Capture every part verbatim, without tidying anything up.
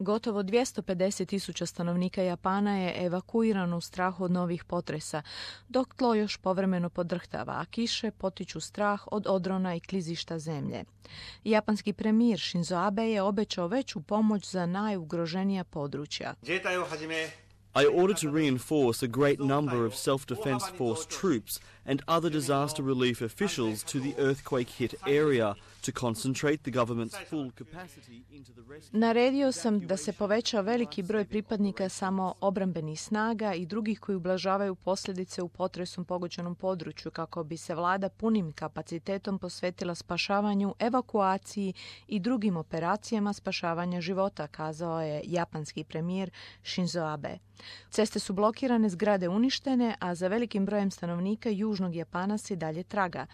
Gotovo dvjesto pedeset tisuća stanovnika Japana je evakuirano u strahu od novih potresa, dok tlo još povremeno podrhtava, a kiše potiču strah od odrona i klizišta zemlje. Japanski premijer Shinzo Abe je obećao veću pomoć za najugroženija područja. I ordered to reinforce a great number of self-defense force troops and other disaster relief officials to the earthquake-hit area to concentrate the government's full capacity into the rescue. Naredio sam da se poveća veliki broj pripadnika samo obrambenih snaga i drugih koji ublažavaju posljedice u potresom pogođenom području kako bi se vlada punim kapacitetom posvetila spašavanju, evakuaciji i drugim operacijama spašavanja života, kazao je japanski premijer Shinzo Abe. Ceste su blokirane, zgrade uništene, a za velikim brojem stanovnika južnog Japana se dalje traga.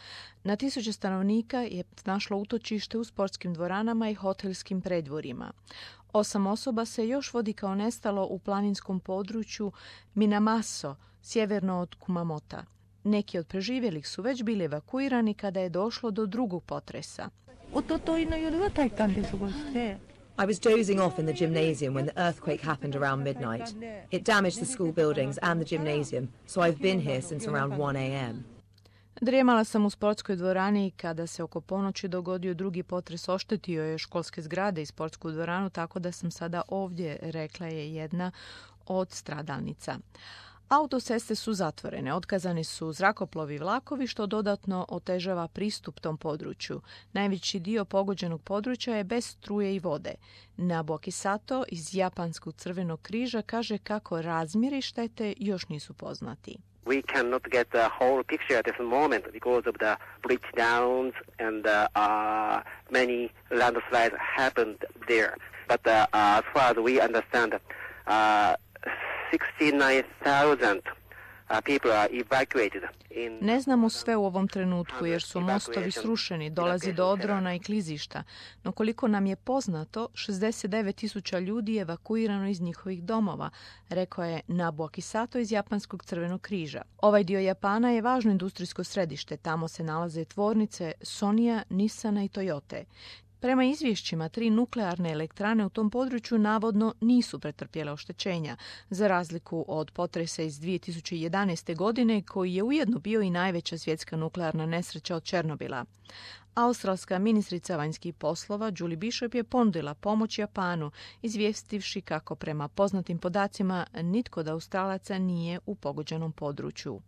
Na tisuće stanovnika je našlo utočište u sportskim dvoranama i hotelskim predvorima. Osam osoba se još vodi kao nestalo u planinskom području Minamaso, sjeverno od Kumamota. Neki od preživjelih su već bili evakuirani kada je došlo do drugog potresa. I was dozing off in the gymnasium when the earthquake happened around midnight. It damaged the school buildings and the gymnasium, so I've been here since around one a.m. Drijemala sam u sportskoj dvorani kada se oko ponoći dogodio drugi potres, oštetio je školske zgrade i sportsku dvoranu, tako da sam sada ovdje, rekla je jedna od stradalnica. Autoceste su zatvorene, otkazani su zrakoplovi i vlakovi, što dodatno otežava pristup tom području. Najveći dio pogođenog područja je bez struje i vode. Nabuaki Sato iz Japanskog crvenog križa kaže kako razmjeri štete još nisu poznati. We cannot get the whole picture at this moment because of the breakdowns and uh, uh, many landslides happened there. But uh, as far as we understand, uh, sixty-nine thousand uh, people are evacuated. In Ne znamo sve u ovom trenutku jer su mostovi srušeni, dolazi do odrona i klizišta, no koliko nam je poznato, šezdeset devet tisuća ljudi je evakuirano iz njihovih domova, rekao je Nabuaki Sato iz Japanskog crvenog križa. Ovaj dio Japana je važno industrijsko središte, tamo se nalaze tvornice Sonya, Nissana i Toyote. Prema izvješćima, tri nuklearne elektrane u tom području navodno nisu pretrpjele oštećenja, za razliku od potresa iz dvije tisuće jedanaeste. godine, koji je ujedno bio i najveća svjetska nuklearna nesreća od Černobila. Australska ministrica vanjskih poslova Julie Bishop je ponudila pomoć Japanu, izvijestivši kako prema poznatim podacima nitko od Australaca nije u pogođenom području.